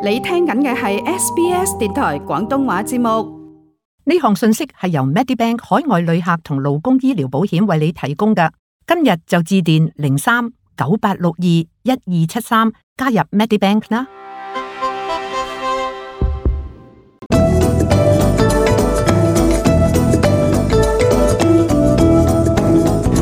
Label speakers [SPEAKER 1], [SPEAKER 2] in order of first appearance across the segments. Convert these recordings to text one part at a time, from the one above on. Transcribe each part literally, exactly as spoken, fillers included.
[SPEAKER 1] 你聽緊嘅係 S B S 電台廣東話節目。
[SPEAKER 2] 呢項信息係由 Medibank 海外旅客同勞工醫療保險為你提供嘅。今日就致電零三九八六二一二七三加入 Medibank 啦。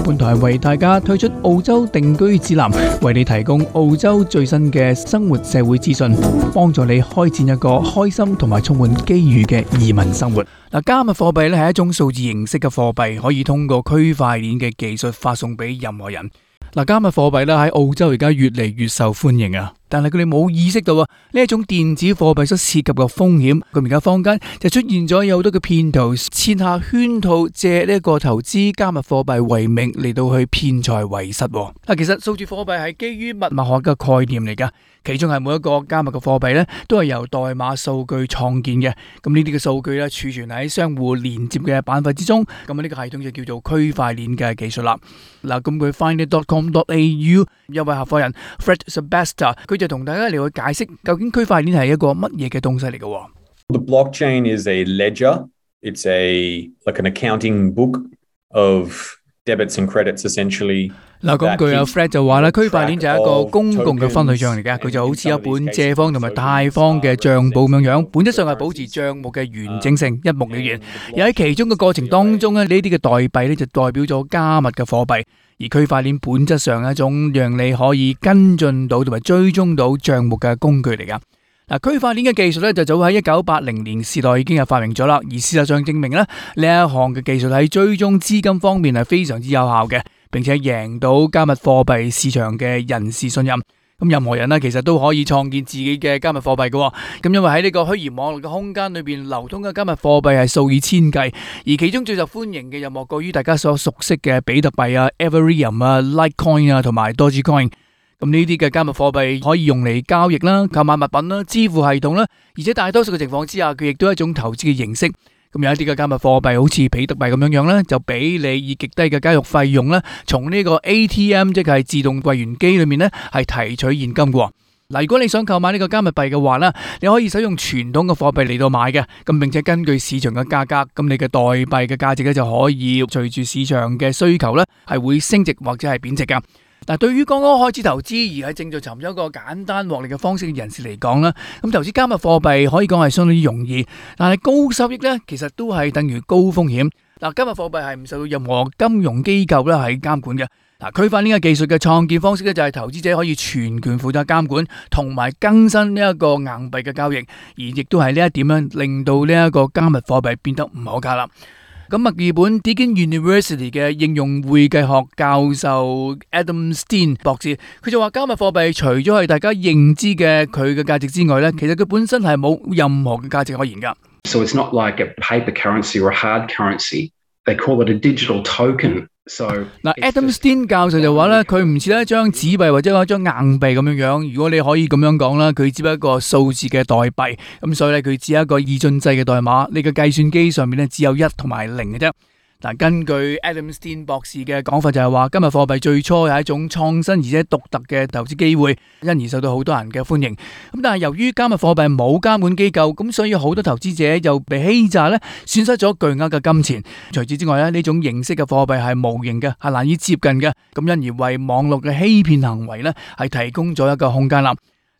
[SPEAKER 3] 本台為大家推出澳洲定居指南，為你提供澳洲最新嘅生活社會資訊，幫助你開展一個開心同埋充滿機遇嘅移民生活。嗱，加密貨幣咧係一種數字形式嘅貨幣，可以通過區塊鏈嘅技術發送俾任何人。嗱，加密貨幣咧喺澳洲而家越嚟越受歡迎啊！但係佢哋冇意識到啊，呢一種電子貨幣所涉及嘅風險。咁而家坊間就出現咗有好多嘅騙徒設下圈套，借呢一個投資加密貨幣為名嚟到去騙財為實。嗱，其實數字貨幣係基於密碼學嘅概念嚟噶，其中係每一個加密嘅貨幣咧都係由代碼數據創建嘅。咁呢啲嘅數據咧儲存喺相互連接嘅板塊之中。咁呢個系統就叫做區塊鏈嘅技術啦。嗱，咁佢 find it dot com dot a u 一位合夥人 Fred Sebesta 佢就同大家嚟去解釋究竟區塊鏈係一個乜嘢嘅東西嚟嘅。
[SPEAKER 4] The blockchain is a ledger. It's a like an accounting book of debits and credits essentially.
[SPEAKER 3] 嗱，咁據阿 Fred 就話咧，區塊鏈就係一個公共嘅分類賬嚟嘅，佢就好似一本借方同埋貸方嘅賬簿咁樣樣，本質上係保持賬目嘅完整性，一目了然。而喺其中嘅過程當中咧，呢啲嘅代幣咧就代表咗加密嘅貨幣，而區塊鏈本質上係一種讓你可以跟進到同埋追蹤到賬目嘅工具嚟噶。嗱，區塊鏈嘅技術咧就早喺一九八零年時代已經係發明咗啦，而事實上證明咧呢一項嘅技術喺追蹤資金方面係非常之有效嘅，並且贏到加密貨幣市場嘅人士信任。咁任何人呢，其實都可以創建自己嘅加密貨幣嘅。咁因為喺呢個虛擬網絡嘅空間裏邊流通嘅加密貨幣係數以千計，而其中最受歡迎嘅又莫過於大家所熟悉嘅比特幣啊、Ethereum 啊、Litecoin 啊同埋 Dogecoin。咁呢啲嘅加密貨幣可以用嚟交易啦、購買物品啦、支付系統啦，而且大多數嘅情況之下，佢亦都係一種投資嘅形式。咁有一啲嘅加密貨幣好似比特幣咁樣樣咧，就俾你以極低嘅交易費用咧，從呢個 A T M 即係自動櫃員機裏面咧係提取現金嘅。嗱，如果你想購買呢個加密幣嘅話咧，你可以使用傳統嘅貨幣嚟到買嘅，咁並且根據市場嘅價格，咁你嘅代幣嘅價值咧就可以隨住市場嘅需求咧係會升值或者係貶值噶。嗱，對於剛剛開始投資而係正在尋找一個簡單獲利嘅方式嘅人士嚟講啦，咁投資加密貨幣可以講係相當之容易，但係高收益咧，其實都係等於高風險。嗱，加密貨幣係唔受到任何金融機構咧係監管嘅。嗱，區塊鏈嘅技術嘅創建方式咧就係投資者可以全權負責監管同埋更新呢一個硬幣嘅交易，而亦都係呢一點樣令到呢一個加密貨幣變得唔可靠啦。咁墨爾本 Deakin University 嘅應用會計學教授 Adam Steen 博士，佢就話加密貨幣除咗係大家認知嘅佢嘅價值之外咧，其實佢本身係冇任何嘅價值可言噶。
[SPEAKER 5] So it's not like a paper currency or a hard currency. They call it a digital token. So
[SPEAKER 3] 嗱，Adam Steen 教授就話咧，佢唔似一張紙幣或者一張硬幣咁樣樣。如果你可以咁樣講啦，佢只不過一個數字嘅代幣，咁所以咧佢只係一個二進制嘅代碼。你嘅計算機上面咧只有一同埋零嘅啫。嗱，根據 Adam Steen 博士嘅講法就係話，加密貨幣最初係一種創新而且獨特嘅投資機會，因而受到好多人嘅歡迎。咁但係由於加密貨幣冇監管機構，咁所以好多投資者又被欺詐咧，損失咗巨額嘅金錢。除此之外咧，呢種形式嘅貨幣係無形嘅，係難以接近嘅，咁因而為網絡嘅欺騙行為咧係提供咗一個空間啦。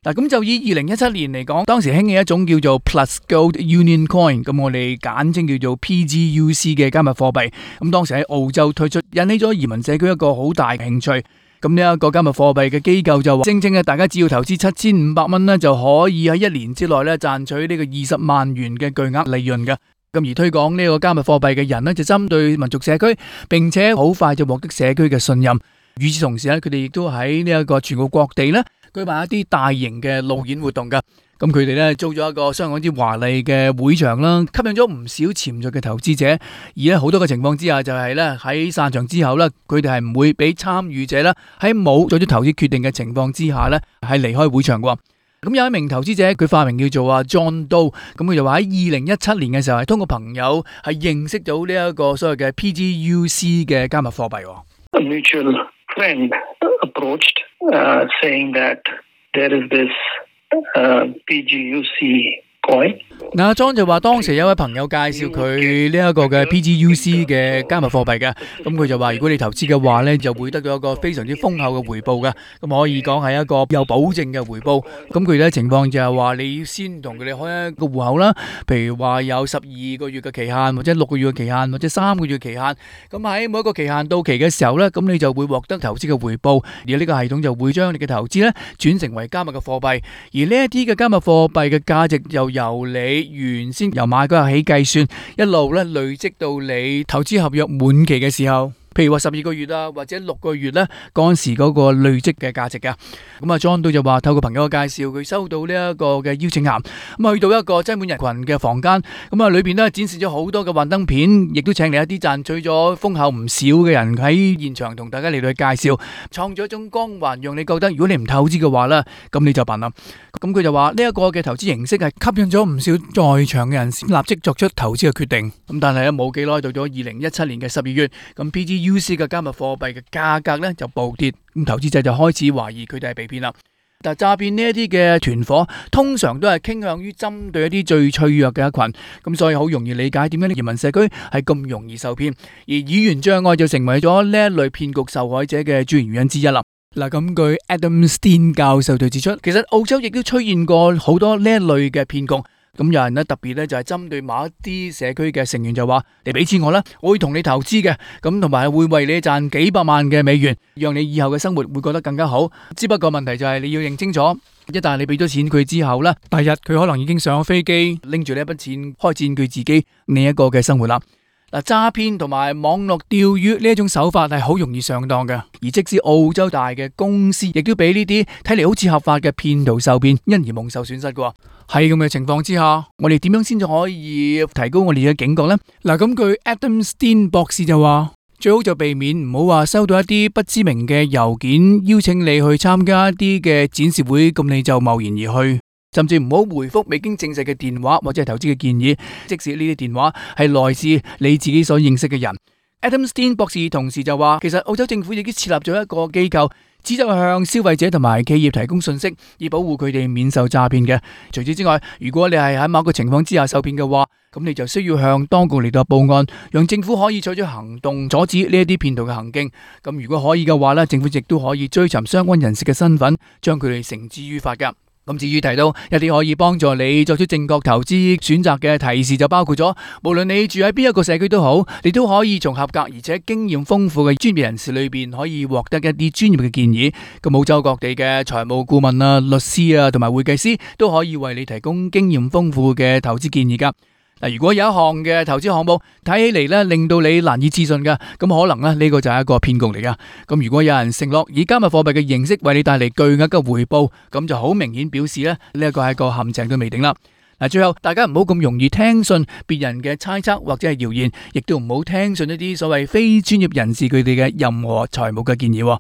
[SPEAKER 3] 嗱，咁就以二零一七年嚟講，當時興起一種叫做 Plus Gold Union Coin， 咁我哋簡稱叫做 P G U C 嘅加密貨幣。咁當時喺澳洲推出，引起咗移民社區一個好大嘅興趣。咁呢一個加密貨幣嘅機構就話，聲稱嘅大家只要投資七千五百蚊咧，就可以喺一年之內咧賺取呢個二十萬元嘅巨額利潤嘅。咁而推廣呢個加密貨幣嘅人咧，就針對民族社區，並且好快就獲得社區嘅信任。與此同時咧，佢哋亦都喺呢一個全國各地咧舉辦一啲大型嘅路演活動噶。咁佢哋咧租咗一個相當之華麗嘅會場啦，吸引咗唔少潛在嘅投資者。而咧好多嘅情況之下，就係咧喺散場之後咧，佢哋係唔會俾參與者咧喺冇做咗投資決定嘅情況之下咧係離開會場嘅。咁有一名投資者，佢化名叫做阿 John Doe， 咁佢就話喺二零一七年嘅時候係通過朋友係認識到呢一個所謂嘅 P G U C 嘅加密貨幣。
[SPEAKER 6] A mutual friend approached, uh, saying that there is this uh, P G U C coin。
[SPEAKER 3] 嗱，阿莊就話當時有位朋友介紹佢呢一個嘅 P G U C 嘅加密貨幣嘅，咁佢就話如果你投資嘅話呢，就會得到一個非常之豐厚嘅回報嘅，咁可以講係一個有保證嘅回報。咁佢哋情況就係話你要先同佢哋開一個戶口啦，譬如話有十二個月嘅期限，或者六個月嘅期限，或者三個月嘅期限。咁喺每一個期限到期嘅時候呢，咁你就會獲得投資嘅回報，而呢個系統就會將你嘅投資呢轉成為加密嘅貨幣，而呢一啲嘅加密貨幣嘅價值又由你原先由買嗰日起計算，一路咧累積到你投資合約滿期嘅時候，譬如話十二個月啊，或者六個月咧，嗰陣時嗰個累積嘅價值噶。咁啊，John 都就話透過朋友嘅介紹，佢收到呢一個嘅邀請函，咁去到一個擠滿人群嘅房間，咁啊裏邊咧展示咗好多嘅幻燈片，亦都請嚟一啲賺取咗豐厚唔少嘅人喺現場同大家嚟到去介紹，創造一種光環，讓你覺得如果你唔投資嘅話咧，咁你就笨啦。咁佢就話呢一個嘅投資形式係吸引咗唔少在場嘅人先立即作出投資嘅決定。咁但係咧冇幾耐到咗二零一七年嘅十二月，咁 P G U C 嘅加密貨幣嘅價格咧就暴跌，咁投資者就開始懷疑佢哋係被騙啦。但係詐騙呢一啲嘅團伙通常都係傾向於針對一啲最脆弱嘅一群，咁所以好容易理解點解啲移民社區係咁容易受騙，而語言障礙就成為咗呢一類騙局受害者嘅主要原因之一啦。嗱，咁據 Adam Steen 教授就指出，其實澳洲亦都出現過好多呢一類嘅騙局。咁有人咧特別咧就係針對某一啲社區嘅成員就話：你俾錢我啦，我會同你投資嘅，咁同埋會為你賺幾百萬嘅美元，讓你以後嘅生活會覺得更加好。只不過問題就係你要認清楚，一旦你俾咗錢佢之後呢，第日佢可能已經上咗飛機，拎住呢一筆錢開展佢自己另一個嘅生活啦。嗱，詐騙同埋網絡釣魚呢一種手法係好容易上當嘅，而即使澳洲大嘅公司，亦都俾呢啲睇嚟好似合法嘅騙徒受騙，因而蒙受損失嘅。喺咁嘅情況之下，我哋點樣先至可以提高我哋嘅警覺呢？嗱，咁據 Adam Steen 博士就話，最好就避免唔好話收到一啲不知名嘅郵件，邀請你去參加一啲嘅展示會，咁你就貿然而去。甚至唔好回覆未經證實嘅電話或者係投資嘅建議，即使呢啲電話係來自你自己所認識嘅人。Adam Steen 博士同時就話，其實澳洲政府已經設立咗一個機構，旨在向消費者同埋企業提供信息，以保護佢哋免受詐騙嘅。除此之外，如果你係喺某個情況之下受騙嘅話，咁你就需要向當局嚟到報案，讓政府可以採取行動阻止呢一啲騙徒嘅行徑。咁如果可以嘅話咧，政府亦都可以追尋相關人士嘅身份，將佢哋繩之於法噶。咁至於提到一啲可以幫助你作出正確投資選擇嘅提示，就包括咗，無論你住喺邊一個社區都好，你都可以從合格而且經驗豐富嘅專業人士裏邊可以獲得一啲專業嘅建議。咁澳洲各地嘅財務顧問啊、律師啊同埋會計師都可以為你提供經驗豐富嘅投資建議噶。嗱，如果有一項嘅投資項目睇起嚟咧，令到你難以置信嘅，咁可能咧呢個就係一個騙局嚟噶。咁如果有人承諾以加密貨幣嘅形式為你帶嚟巨額嘅回報，咁就好明顯表示咧呢一個係一個陷阱都未定啦。嗱，最後大家唔好咁容易聽信別人嘅猜測或者係謠言，亦都唔好聽信一啲所謂非專業人士佢哋嘅任何財務嘅建議。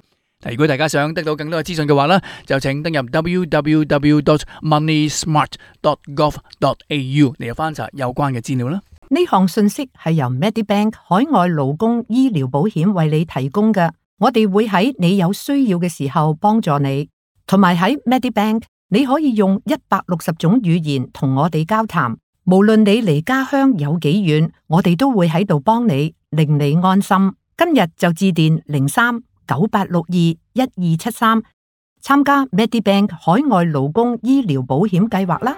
[SPEAKER 3] 如果大家想得到更多嘅資訊嘅話呢，就請登入 w w w dot money smart dot gov dot a u 嚟翻查有關嘅資料啦。
[SPEAKER 2] 呢項信息係由 Medibank 海外勞工醫療保險為你提供嘅，我哋會喺你有需要嘅時候幫助你，同埋喺 Medibank 你可以用一百六十種語言同我哋交談，無論你離家鄉有幾遠，我哋都會喺度幫你，令你安心。今日就致電零三九八六二一二七三參加 Medibank 海外勞工醫療保險計劃啦！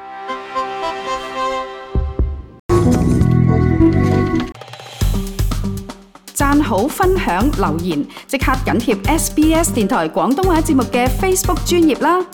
[SPEAKER 1] 讚好、分享、留言，即刻緊貼 S B S 電台廣東話節目嘅 Facebook 專頁啦！